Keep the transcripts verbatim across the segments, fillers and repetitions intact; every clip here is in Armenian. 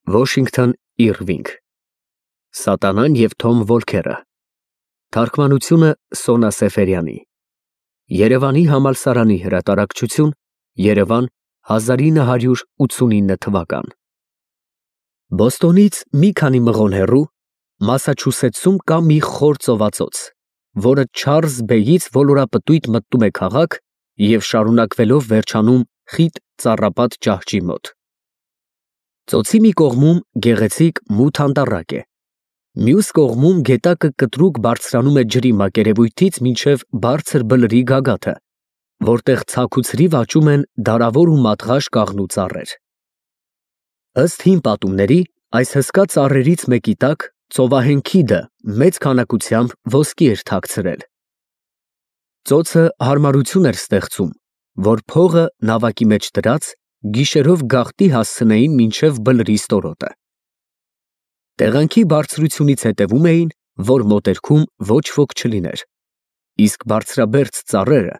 Վոշինգթոն Իրվինգ Սատանան և Թոմ Վոլքերը Թարգմանությունը Սոնա Սեֆերյանի Երևանի համալսարանի հրատարակչություն Երևան հազար ինը հարյուր ութսունինը թվական Բոստոնից մի քանի մղոն հեռու Մասաչուսեթսում կա մի խոր ծովածոց, որը Չարլզ Բեյից ոլորապտույտ մտնում է քաղաք և շարունակվելով վերջանում խիտ ծառապատ ճահճի մոտ։ Ծոցի մի կողմում գեղեցիկ մութ անտառակ է, մյուս կողմում գետակը կտրուկ բարձրանում է ջրի մակերևույթից մինչև բարձր բլրի գագաթը, որտեղ ցաք ու ցրիվ աճում են դարավոր ու մատղաշ կաղնու ծառեր։ Ըստ հին պատումների, այս հսկա ծառերից մեկի տակ ծովահեն քիդը մեծ քանակությամբ ոսկի էր թաքցրել։ Ծոցը հարմարություն էր ստեղծում, որ փողը նավակի մեջ դրած գիշերով գաղտնի հասցնեին մինչև բլրի ստորոտը։ Տեղանքի բարձրությունից հետևում էին, որ մոտերքում ոչ ոք չլիներ, իսկ բարձրաբերձ ծառերը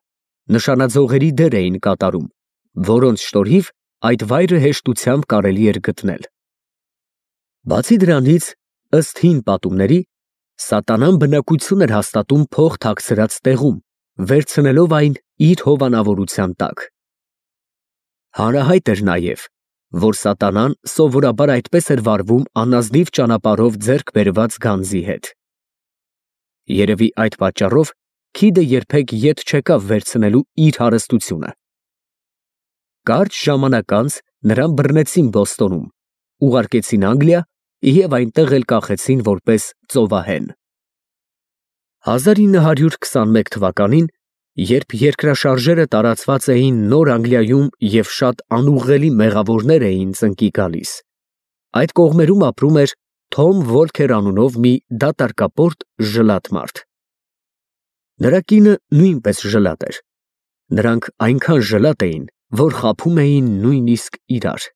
նշանաձողերի դեր էին կատարում, որոնց շնորհիվ այդ վայրը հեշտությամբ կարելի էր գտնել։ Բացի դրանից, ըստ հին պատումների, սատանան բնակություն էր հաստատում փող թաքցրած տեղում, վերցնելով այն իր հովանավորության տակ։ Հանրահայտ էր նաև, որ սատանան սովորաբար այդպես էր վարվում անազնիվ ճանապարհով ձեռք բերված գանձի հետ։ Երևի այդ պատճառով քիդը երբեք ետ չեկավ վերցնելու իր հարստությունը։ Կարճ ժամանակ անց նրան բռնեցին Բոստոնում, ուղարկեցին Անգլիա և այնտեղ էլ կախեցին որպես ծովահեն։ հազար ինը հարյուր քսանմեկ թվականին, երբ երկրաշարժերը տարածված էին Նոր Անգլիայում և շատ անուղղելի մեղավորներ էին ծնկի գալիս, այդ կողմերում ապրում էր Թոմ Վոլքեր անունով մի դատարկապորտ ժլատ մարդ։ Նրա կինը նույնպես ժլատ էր։ Նրանք այնքան ժլատ էին, որ խաբում էին նույնիսկ իրար։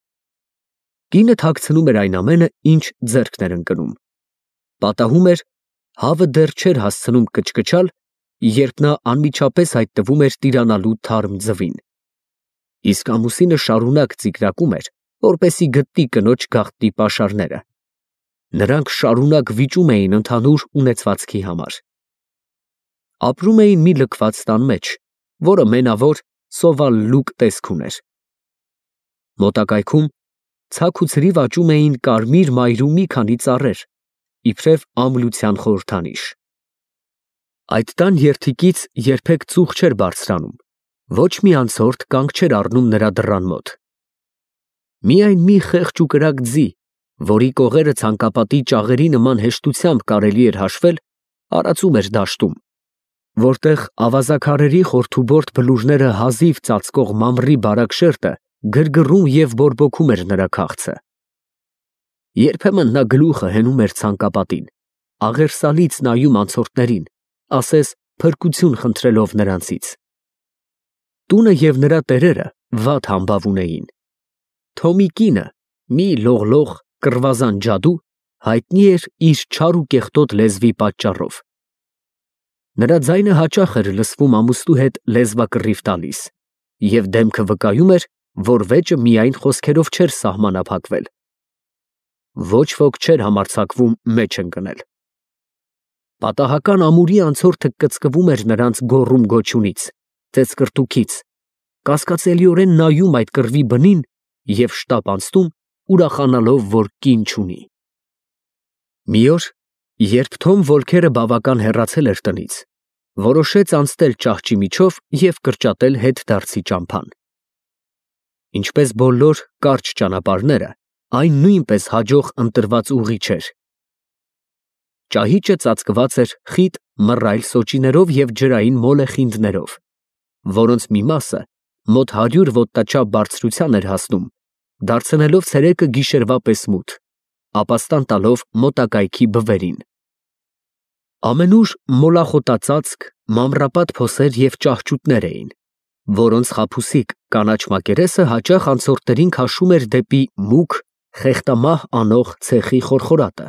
Կինը թաքցնում էր այն ամենը, ինչ ձեռքն էր ընկնում։ Պատահում էր, հավը դեռ չէր հասցնում կչկչալ, երբ նա անմիջապես հայտնվում էր տիրանալու թարմ ձվին։ Իսկ ամուսինը շարունակ ծիկրակում էր, որպեսզի գտնի կնոջ գաղտնի պաշարները։ Նրանք շարունակ վիճում էին ընդհանուր ունեցվածքի համար։ Ապրում էին մի լքված տան մեջ, որը մենավոր սովալ լուկ տեսք ուներ։ Մոտակայքում ցաք ու ցրիվ աճում էին կարմիր մայրու մի քանի ծառեր, իբրև ամլության խորհրդանիշ։ Այդ տան երդիկից երբեք ծուխ չէր բարձրանում, ոչ մի անցորդ կանգ չէր առնում նրա դռան մոտ։ Միայն մի խեղճ ու կրակ ձի, որի կողերը ցանկապատի ճաղերի նման հեշտությամբ կարելի էր հաշվել, արածում էր դաշտում, որտեղ ավազաքարերի խորթուբորդ բլուրները հազիվ ծածկող մամռի բարակ շերտը գրգռում և բորբոքում էր նրա քաղցը։ Երբեմն նա գլուխը հենում էր ցանկապատին, աղերսալից նայում անցորդներին, ասես փրկություն խնդրելով նրանցից։ Տունը և նրա տերերը վատ համբավ ունեին։ Թոմի կինը, մի լողլող կռվազան ջադու, հայտնի էր իր չար ու կեղտոտ լեզվի պատճառով։ Նրա ձայնը հաճախ էր լսվում ամուսնու հետ լեզվակռիվ տալիս, և դեմքը վկայում էր, որ վեճը միայն խոսքերով չէր սահմանափակվել։ Ոչ ոք չէր համարձակվում մեջ ընկնել։ Պատահական ամուրի անցորդը կծկվում էր նրանց գոռում գոչյունից, ծեծկռտուքից, կասկածելիորեն նայում այդ կռվի բնին և շտապ անցնում, ուրախանալով, որ կին չունի։ Մի օր, երբ Թոմ Վոլքերը բավական հեռացել էր տնից, որոշեց անցնել ճահճի միջով և կրճատել հետդարձի ճամփան։ Ինչպես բոլոր կարճ ճանապարհները, այն նույնպես հաջող ընտրված ուղի չէր։ Ճահիճը ծածկված էր խիտ մռայլ սոճիներով և ջրային մոլեխինդներով, որոնց մի մասը մոտ հարյուր ոտնաչափ բարձրության էր հասնում, դարձնելով ցերեկը գիշերվա պես մութ, ապաստան տալով մոտակայքի բվերին։ Ամենուր մոլախոտածածկ, մանրապատ փոսեր և ճահճուտներ էին, որոնց խաբուսիկ կանաչ մակերեսը հաճախ անցորդներին քաշում էր դեպի մուգ, խեղդամահ անող ցեխի խորխորատը։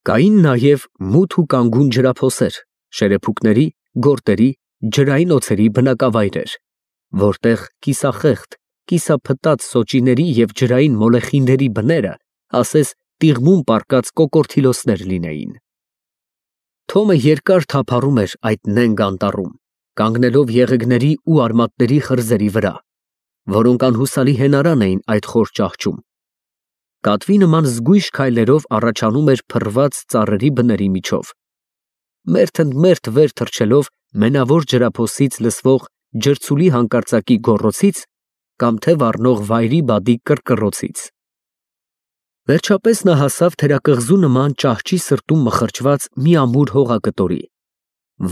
Կային նաև մութ ու կանգուն ջրափոսեր, շերեփուկների, գորտերի, ջրային օձերի բնակավայրեր, որտեղ կիսախեղդ, կիսափտած սոճիների և ջրային մոլեխիների բները, ասես տիղմում պառկած կոկորդիլոսներ լինեին։ Թոմը երկար թափառում էր այդ նենգ անտառում, կանգնելով եղեգների ու արմատների խրձերի վրա, որոնք անհուսալի հենարան էին այդ խոր ճահճում։ Կատվի նման զգույշ քայլերով առաջանում էր փռված ծառերի բների միջով, մերթ ընդ մերթ վեր թռչելով մենավոր ջրափոսից լսվող ջրցուլի հանկարծակի գոռոցից կամ թե վառնող վայրի բադի կռկռոցից։ Վերջապես նա հասավ թերակղզու նման ճահճի սրտում մխրճված մի ամուր հողակտորի,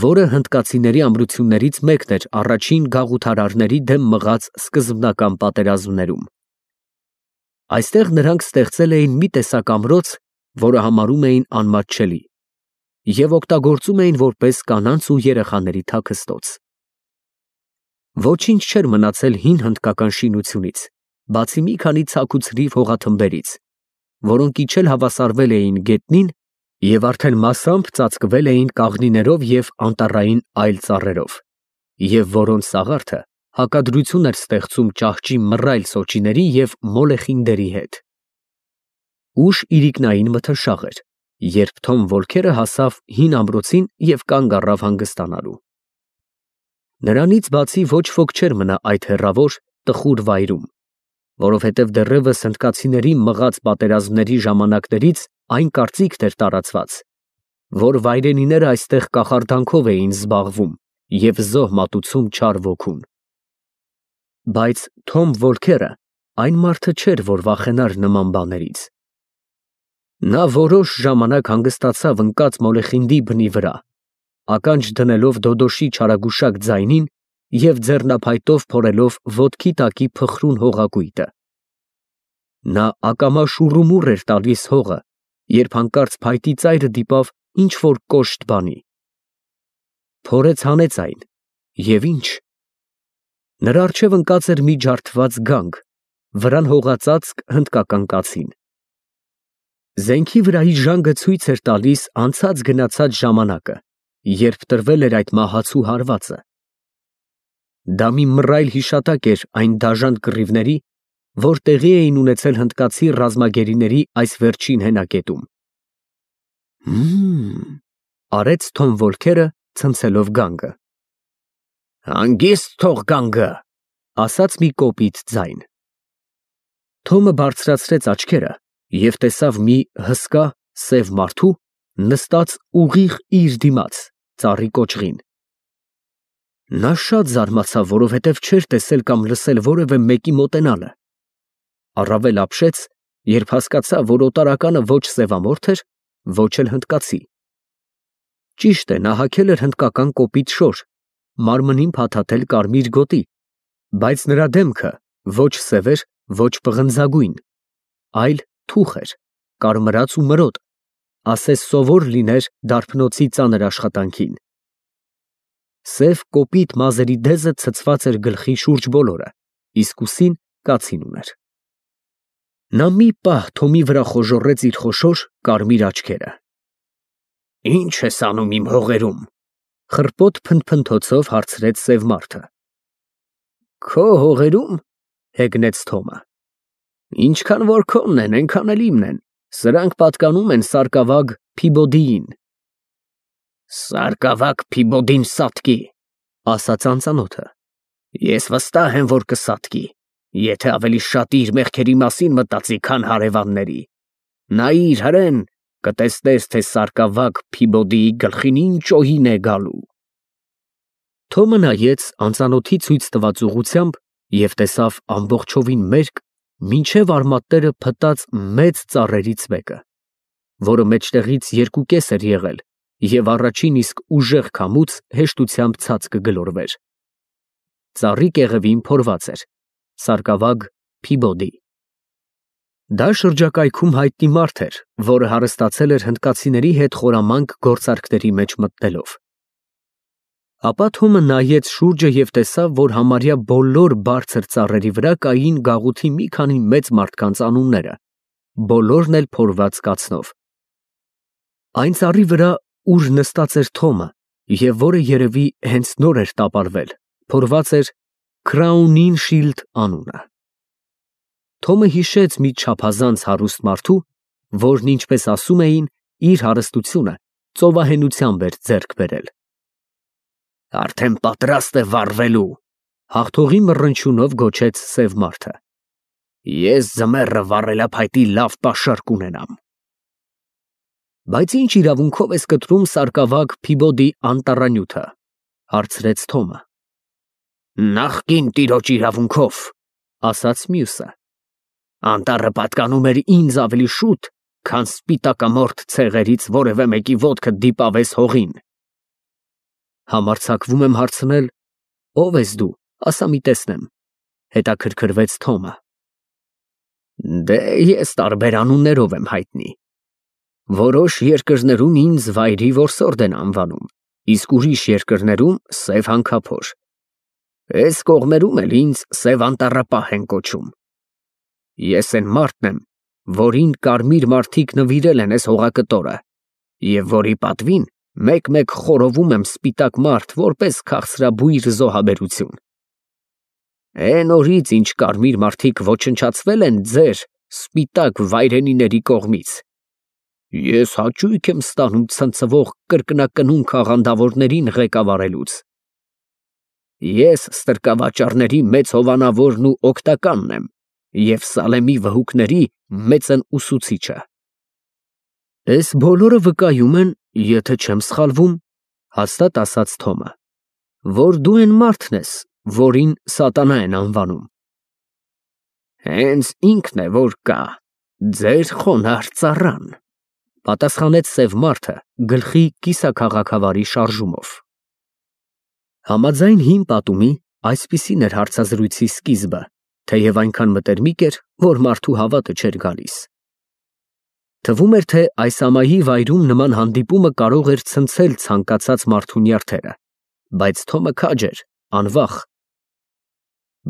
որը հնդկացիների ամրություններից մեկն էր առաջին գաղութարարների դեմ մղած սկզբնական պատերազմներում։ Այստեղ նրանք ստեղծել էին մի տեսակ ամրոց, որը համարում էին անմատչելի, և օգտագործում էին որպես կանանց ու երեխաների թաքստոց։ Ոչինչ չէր մնացել հին հնդկական շինությունից, բացի մի քանի ցաք ու ցրիվ հողաթմբերից, որոնք իջել հավասարվել էին գետնին և արդեն մասամբ ծածկվել էին կաղնիներով և անտառային այլ ծառերով, և որոնց սաղարթը հակադրություն էր ստեղծում ճահճի մռայլ սոճիների և մոլեխինդերի հետ։ Ուշ իրիկնային մթնշաղ էր, երբ Թոմ Վոլքերը հասավ հին ամրոցին և կանգ առավ հանգստանալու։ Նրանից բացի ոչ ոք չէր մնա այդ հեռավոր, տխուր վայրում, որովհետև դեռևս հնդկացիների մղած պատերազմների ժամանակներից այն կարծիքն էր տարածված, որ վայրենիները այստեղ կախարդանքով էին զբաղվում և զոհ մատուցում չար ոգուն։ Բայց Թոմ Վոլքերը այն մարդը չէր, որ վախենար նման բաներից։ Նա որոշ ժամանակ հանգստացավ ընկած մոլեխինդի բնի վրա, ականջ դնելով Դոդոշի չարագուշակ ձայնին և ձեռնափայտով փորելով ոտքի տակի փխրուն հողակույտը։ Նա ակամա շուռումուռ էր տալիս հողը, երբ հանկարծ փայտի ծայրը դիպավ ինչ֊որ կոշտ բանի։ Փորեց հանեց այն, և ի՞նչ։ Նրա առջև ընկած էր մի ջարդված գանգ, վրան հողածածկ հնդկական կացին։ Զենքի վրայի ժանգը ցույց էր տալիս անցած գնացած ժամանակը, երբ տրվել էր այդ մահացու հարվածը։ Դա մի մռայլ հիշատակ էր այն դաժան կռիվների, որ տեղի էին ունեցել հնդկացի ռազմագերիների այս վերջին հենակետում։ Հը՛մմ, արեց Թոմ Վոլքերը, ցնցելով գանգը։ Հանգիստ թող գանգը, ասաց մի կոպիտ ձայն։ Թոմը բարձրացրեց աչքերը և տեսավ մի հսկա, սև մարդու, նստած ուղիղ իր դիմաց, ծառի կոճղին։ Նա շատ զարմացավ, որովհետև չէր տեսել կամ լսել որևէ մեկի մոտենալը։ Առավել ապշեց, երբ հասկացավ, որ օտարականը ոչ սևամորթ էր, ոչ էլ հնդկացի։ Ճիշտ է, նա հագել էր հնդկական կոպիտ շոր, մարմնին փաթաթել կարմիր գոտի, բայց նրա դեմքը ոչ սև էր, ոչ պղնձագույն, այլ թուխ էր, կարմրած ու մրոտ, ասես սովոր լիներ դարբնոցի ծանր աշխատանքին։ Սև կոպիտ մազերի դեզը ցցված էր գլխի շուրջ բոլորը, իսկ ուսին կացին ուներ։ Նա մի պահ Թոմի վրա խոժոռեց իր խոշոր, կարմիր աչքերը։ Ի՞նչ ես անում իմ հողերում, խռպոտ փնթփնթոցով հարցրեց սև մարդը։ Քո հողերում, հեգնեց Թոմը։ Ինչքան որ քոնն են, այնքան էլ իմն են, սրանք պատկանում են Սարկավագ Փիբոդիին։ Սարկավագ Փիբոդին սատկի, ասաց անծանոթը։ Ես վստահ եմ, որ կսատկի, եթե ավելի շատ իր մեղքերի մասին մտածի, քան հարևանների։ Նայիր, հրեն, կտեսնես, թե Սարկավագ Փիբոդիի գլխին ինչ օհին է գալու։ Թոմը նայեց անծանոթի ցույց տված ուղղությամբ և տեսավ ամբողջովին մերկ, մինչև արմատները փտած մեծ ծառերից մեկը, որը մեջտեղից երկուկես էր եղել և առաջին իսկ ուժեղ քամուց հեշտությամբ ցած կգլորվեր։ Ծառի կեղևին փորված էր Սարկավագ Փիբոդի։ Դա շրջակայքում հայտնի մարդ էր, որը հարստացել էր հնդկացիների հետ խորամանկ գործարքների մեջ մտնելով։ Ապա Թոմը նայեց շուրջը և տեսավ, որ համարյա բոլոր բարձր ծառերի վրա կային գաղութի մի քանի մեծ մարդկանց անունները, բոլորն էլ փորված կացնով։ Այն ծառի վրա, ուր նստած էր Թոմը, և որը երևի հենց նոր էր տապալվել, փորված էր Քրաունինշիլդ անունը։ Թոմը հիշեց մի չափազանց հարուստ մարդու, որն, ինչպես ասում էին, իր հարստությունը ծովահենությամբ էր ձեռք բերել։ Արդեն պատրաստ է վառվելու, հաղթողի մռնչյունով գոչեց սև մարդը։ Ես ձմեռը վառելափայտի լավ պաշար կունենամ։ Բայց ինչ իրավունքով ես կտրում սարկավակ Փիբոդի անտառանյութը, հարցրեց Թոմը։ Նախկին տիրոջ իրավունքով, ասաց մյուսը։ Անտառը պատկանում էր ինձ ավելի շուտ, քան սպիտակամորթ ցեղերից որևէ մեկի ոտքը դիպավես հողին։ Համարձակվում եմ հարցնել, ով ես դու, ասա մի տեսնեմ, հետաքրքրվեց Թոմը։ Դե ես տարբեր անուններով եմ հայտնի։ Որոշ երկրներում ինձ վայրի որսորդ են անվանում, իսկ ուրիշ երկրներում սև հանքափոր։ Այս կողմերում էլ ինձ սև անտառապահ են կոչում։ Ես այն մարդն եմ, որին կարմիր մարդիկ նվիրել են այս հողակտորը, և որի պատվին մեկ-մեկ խորովում եմ սպիտակ մարդ որպես քաղցրաբույր զոհաբերություն։ Էն օրից, ինչ կարմիր մարդիկ ոչնչացվել են ձեր սպիտակ վայրենիների կողմից, ես հաճույք եմ ստանում ցնցվող կրկնակնուն աղանդավորներին ղեկավարելուց։ Ես ստրկավաճառների մեծ հովանավորն ու օգտականն եմ և Սալեմի վհուկների մեծն ուսուցիչը։ Այս բոլորը վկայում են, եթե չեմ սխալվում, հաստատ ասաց Թոմը, որ դու այն մարդն ես, որին սատանա են անվանում։ Հենց ինքն է, որ կա, ձեր խոնարհ ծառան, պատասխանեց սև մարդը գլխի կիսաքաղաքավարի շարժումով։ Համաձայն հին պատումի, այսպիսին էր հարցազրույցի սկիզբը, թեև այնքան մտերմիկ էր, որ մարդու հավատը չէր գալիս։ Թվում էր, թե այս ամայի վայրում նման հանդիպումը կարող էր ցնցել ցանկացած մարդու նյարդերը, բայց Թոմը քաջ էր, անվախ։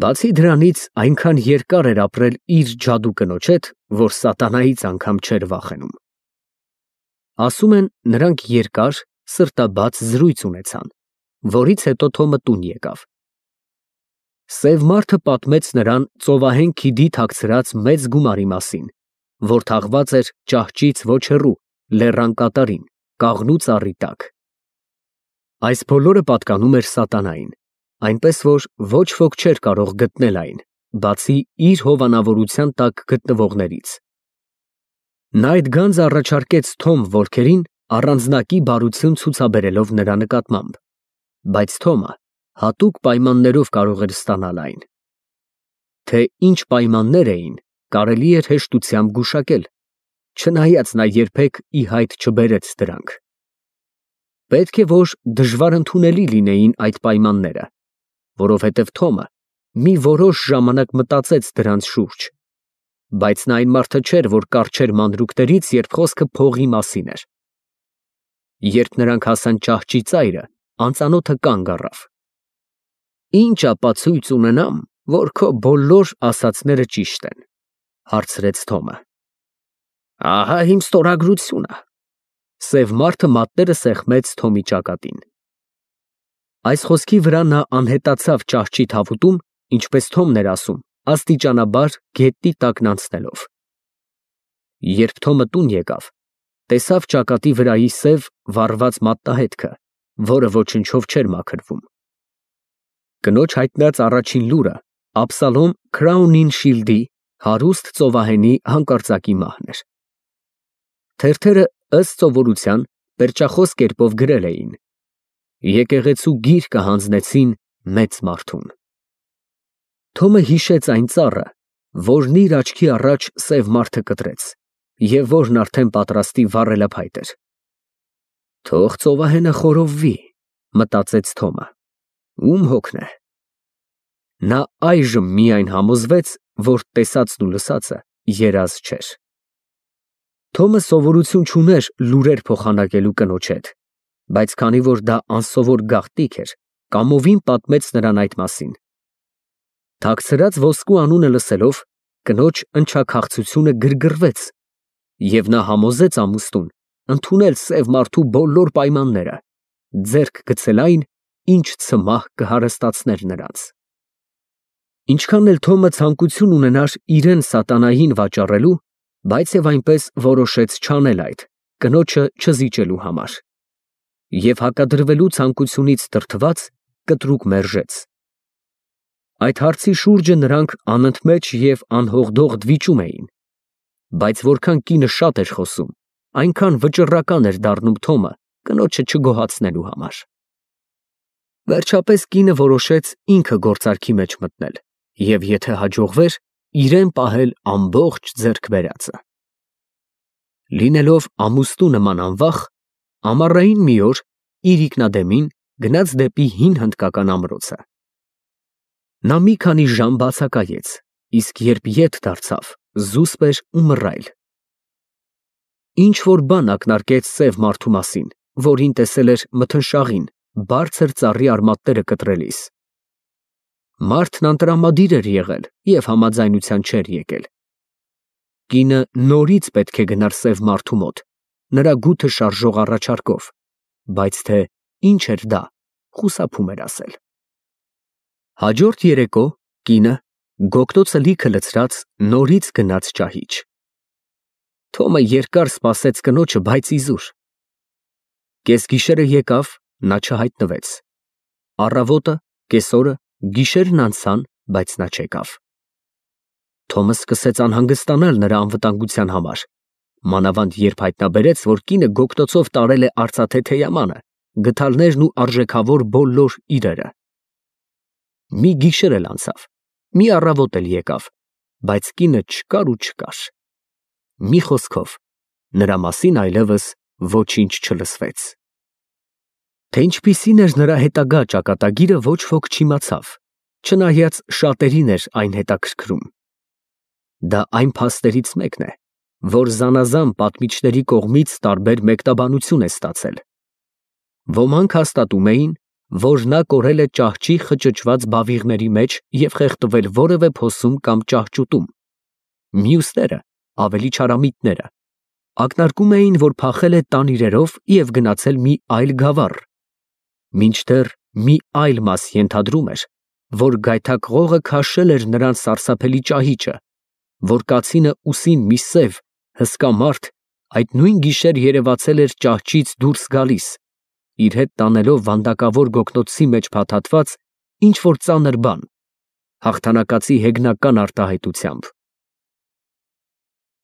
Բացի դրանից, այնքան երկար էր ապրել իր ջադու կնոջ հետ, որ սատանայից անգամ չէր վախենում։ Ասում են, նրանք երկար, սրտաբաց զրույց ունեցան, որից հետո Թոմը տուն եկավ։ Սև մարդը պատմեց նրան ծովահեն քիդի թաքցրած մեծ գումարի մասին, որ թաղված էր ճահճից ոչ հեռու, լեռան կատարին, կաղնու ծառի տակ։ Այս բոլորը պատկանում էր սատանային, այնպես որ ոչ ոք չէր կարող գտնել այն, բացի իր հովանավորության տակ գտնվողներից։ Նա այդ գանձը առաջարկեց Թոմ Վոլքերին առանձնակի բարություն ցուցաբերելով նրա նկատմամբ, բայց Թոմը հատուկ պայմաններով կարող էր ստանալ այն։ Թե ինչ պայմաններ էին, կարելի էր հեշտությամբ գուշակել, չնայած նա երբեք ի հայտ չբերեց դրանք։ Պետք է որ դժվար ընդունելի լինեին այդ պայմանները, որովհետև Թոմը մի որոշ ժամանակ մտածեց դրանց շուրջ, բայց նա այն մարդը չէր, որ կառչեր մանրուքներից, երբ խոսքը փողի մասին էր։ Երբ նրանք հասան ճահճի ծայրը, անծանոթը կանգ առավ։ Ինչ ապացույց ունենամ, որ քո բոլոր ասածները ճիշտ են, հարցրեց Թոմը։ Ահա իմ ստորագրությունը։ Սև մարդը մատները սեղմեց Թոմի ճակատին։ Այս խոսքի վրա նա անհետացավ ճահճի թավուտում, ինչպես Թոմն էր ասում, աստիճանաբար գետնի տակն անցնելով։ Երբ Թոմը տուն եկավ, տեսավ ճակատի վրայի սև վառված մատնահետքը, որը ոչնչով չէր մաքրվում։ Կնոջ հայտնած առաջին լուրը Աբսալոմ Քրաունինշիլդի հարուստ ծովահենի հանկարծակի մահն էր։ Թերթերը ըստ սովորության պերճախոս կերպով գրել էին. Եկեղեցու գիրկը հանձնեցին մեծ մարդուն։ Թոմը հիշեց այն ծառը, որն իր աչքի առաջ սև մարդը կտրեց, և որն արդեն պատրաստի վառելափայտ էր։ Թող ծովահենը խորովվի, մտածեց Թոմը, ում հոգն է։ Նա այժմ միայն համոզվեց, որ տեսածն ու լսածը երազ չէր։ Թոմը սովորություն չուներ լուրեր փոխանակելու կնոջ հետ, բայց քանի որ դա անսովոր գաղտնիք էր, կամովին պատմեց նրան այդ մասին։ Թաքցրած ոսկու անունը լսելով, կնոջ ընչաքաղցությունը գրգռվեց, և նա համոզեց ամուսնուն ընդունել սև մարդու բոլոր պայմանները, ձեռք գցել այն, ինչ ցմահ կհարստացներ նրանց։ Ինչքան էլ Թոմը ցանկություն ունենար իրեն սատանային վաճառելու, բայց եւ այնպես որոշեց չանել այդ, կնոջը չզիջելու համար։ Եվ հակադրվելու ցանկությունից դրդված կտրուկ մերժեց։ Այդ հարցի շուրջը նրանք անընդմեջ և անհողդող դվիճում էին, բայց որքան կինը շատ էր խոսում, այնքան վճռական էր դառնում Թոմը կնոջը չգոհացնելու համար։ Վերջապես կինը որոշեց ինքը գործարքի մեջ մտնել և եթե հաջողվեր, իրեն պահել ամբողջ ձեռք բերածը։ Լինելով ամուսնու նման անվախ, ամառային մի օր իր ինքնադեմին գնաց դեպի հին հնդկական ամրոցը։ Նա մի քանի ժամ բացակայեց, իսկ երբ ետ դարձավ, զուսպ էր ու մռայլ։ Ինչ-որ բան ակնարկեց սև մարդու մասին, որին տեսել էր մթնշաղին, բարձր ծառի արմատները կտրելիս։ Մարդն անտրամադիր էր եղել և համաձայնության չէր եկել։ Կինը նորից պետք է գնար սև մարդու մոտ, նրա գութը շարժող առաջարկով, բայց թե ինչ էր դա, խուսափում էր ասել։ Հաջորդ երեկո կինը, գոգտոցը լիքը լցրած, նորից գնաց ճահիճ։ Թոմը երկար սպասեց կնոջը, բայց իզուր։ Կեսգիշերը եկավ, նա չհայտնվեց։ Առավոտը, կեսօրը, գիշերն անցան, բայց նա չեկավ։ Թոմը սկսեց անհանգստանալ նրա անվտանգության համար, մանավանդ երբ հայտնաբերեց, որ կինը գոգտոցով տարել է արծաթե թեյամանը, գդալներն ու արժեքավոր բոլոր իրերը։ Մի գիշեր էլ անցավ, մի առավոտ էլ եկավ, բայց կինը չկար ու չկար։ Մի խոսքով, նրա մասին այլևս ոչինչ չլսվեց։ Թե ինչպիսին էր նրա հետագա ճակատագիրը, ոչ ոք չիմացավ, չնայած շատերին էր այն հետաքրքրում։ Դա այն փաստերից մեկն է, որ զանազան պատմիչների կողմից տարբեր մեկտաբանություն է ստացել։ Ոմանք հաստատում էին, որ նա կորել է ճահճի խճճված բավիղների մեջ և խեղդվել որևէ փոսում կամ ճահճուտում։ Մյուսները, ավելի չարամիտները, ակնարկում էին, որ փախել է տան իրերով և գնացել մի այլ գավառ, մինչդեռ մի այլ մաս ենթադրում էր, որ գայթակղողը քաշել էր նրան սարսափելի ճահիճը, որ կացինը ուսին մի սև, հսկա մարդ այդ նույն գիշեր երևացել էր ճահճից դուրս գալիս, իր հետ տանելով վանդակավոր գոգնոցի մեջ փաթաթված ինչ֊որ ծանր բան, հաղթանակացի հեգնական արտահայտությամբ։